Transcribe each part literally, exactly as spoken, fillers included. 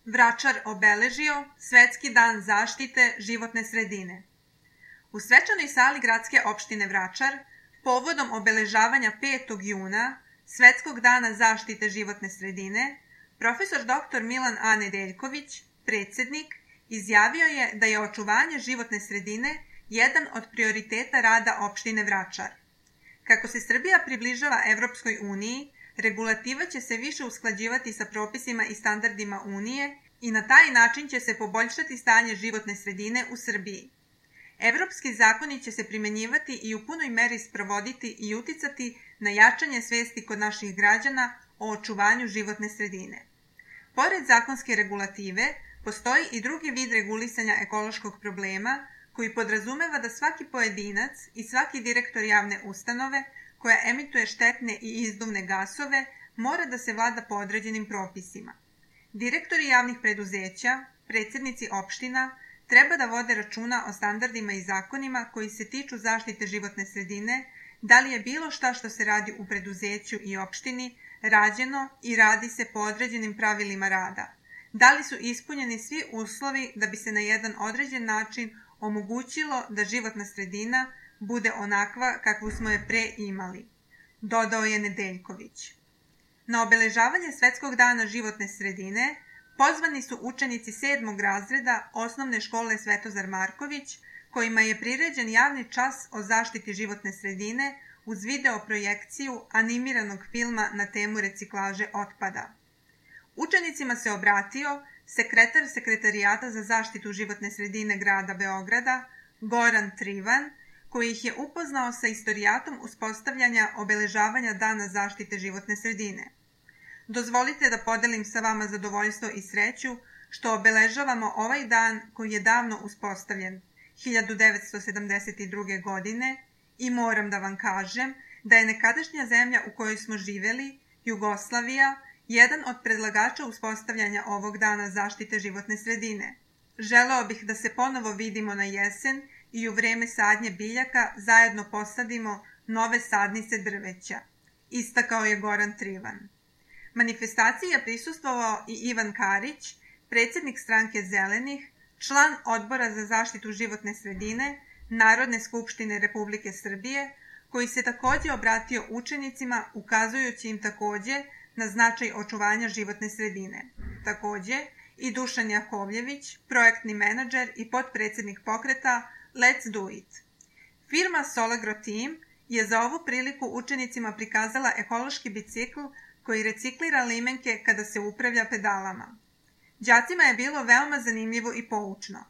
Vračar obeležio Svetski dan zaštite životne sredine. U svečanoj sali gradske opštine Vračar, povodom obeležavanja petog juna, Svetskog dana zaštite životne sredine, profesor doktor Milan A. Nedeljković, predsednik, izjavio je da je očuvanje životne sredine jedan od prioriteta rada opštine Vračar. Kako se Srbija približava Evropskoj uniji, regulativa će se više usklađivati sa propisima i standardima Unije i na taj način će se poboljšati stanje životne sredine u Srbiji. Evropski zakoni će se primenjivati i u punoj meri sprovoditi i uticati na jačanje svesti kod naših građana o očuvanju životne sredine. Pored zakonske regulative, postoji i drugi vid regulisanja ekološkog problema koji podrazumeva da svaki pojedinac i svaki direktor javne ustanove koja emituje štetne i izduvne gasove mora da se vlada po određenim propisima. Direktori javnih preduzeća, predsednici opština, treba da vode računa o standardima i zakonima koji se tiču zaštite životne sredine, da li je bilo šta što se radi u preduzeću i opštini rađeno i radi se po određenim pravilima rada, da li su ispunjeni svi uslovi da bi se na jedan određen način omogućilo da životna sredina bude onakva kakvu smo je pre imali, dodao je Nedeljković. Na obeležavanje Svetskog dana životne sredine pozvani su učenici sedmog razreda osnovne škole Svetozar Marković, kojima je priređen javni čas o zaštiti životne sredine uz video projekciju animiranog filma na temu reciklaže otpada. Učenicima se obratio sekretar Sekretarijata za zaštitu životne sredine grada Beograda, Goran Trivan, koji ih je upoznao sa istorijatom uspostavljanja obeležavanja Dana zaštite životne sredine. Dozvolite da podelim sa vama zadovoljstvo i sreću što obeležavamo ovaj dan koji je davno uspostavljen, hiljadu devetsto sedamdeset druge. godine, i moram da vam kažem da je nekadašnja zemlja u kojoj smo živeli, Jugoslavija, jedan od predlagača uspostavljanja ovog dana zaštite životne sredine. Želeo bih da se ponovo vidimo na jesen i u vreme sadnje biljaka zajedno posadimo nove sadnice drveća, istakao je Goran Trivan. Manifestaciji je prisustvovao i Ivan Karić, predsednik stranke Zelenih, član Odbora za zaštitu životne sredine Narodne skupštine Republike Srbije, koji se takođe obratio učenicima ukazujući im takođe na značaj očuvanja životne sredine. Takođe, i Dušan Jakovljević, projektni menadžer i potpredsednik pokreta Let's Do It. Firma Solagro Team je za ovu priliku učenicima prikazala ekološki bicikl koji reciklira limenke kada se upravlja pedalama. Đacima je bilo veoma zanimljivo i poučno.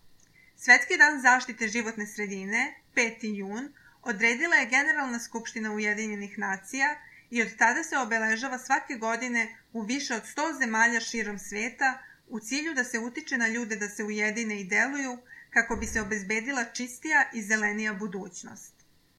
Svetski dan zaštite životne sredine, peti jun, odredila je Generalna skupština Ujedinjenih nacija i od tada se obeležava svake godine u više od sto zemalja širom sveta u cilju da se utiče na ljude da se ujedine i deluju kako bi se obezbedila čistija i zelenija budućnost.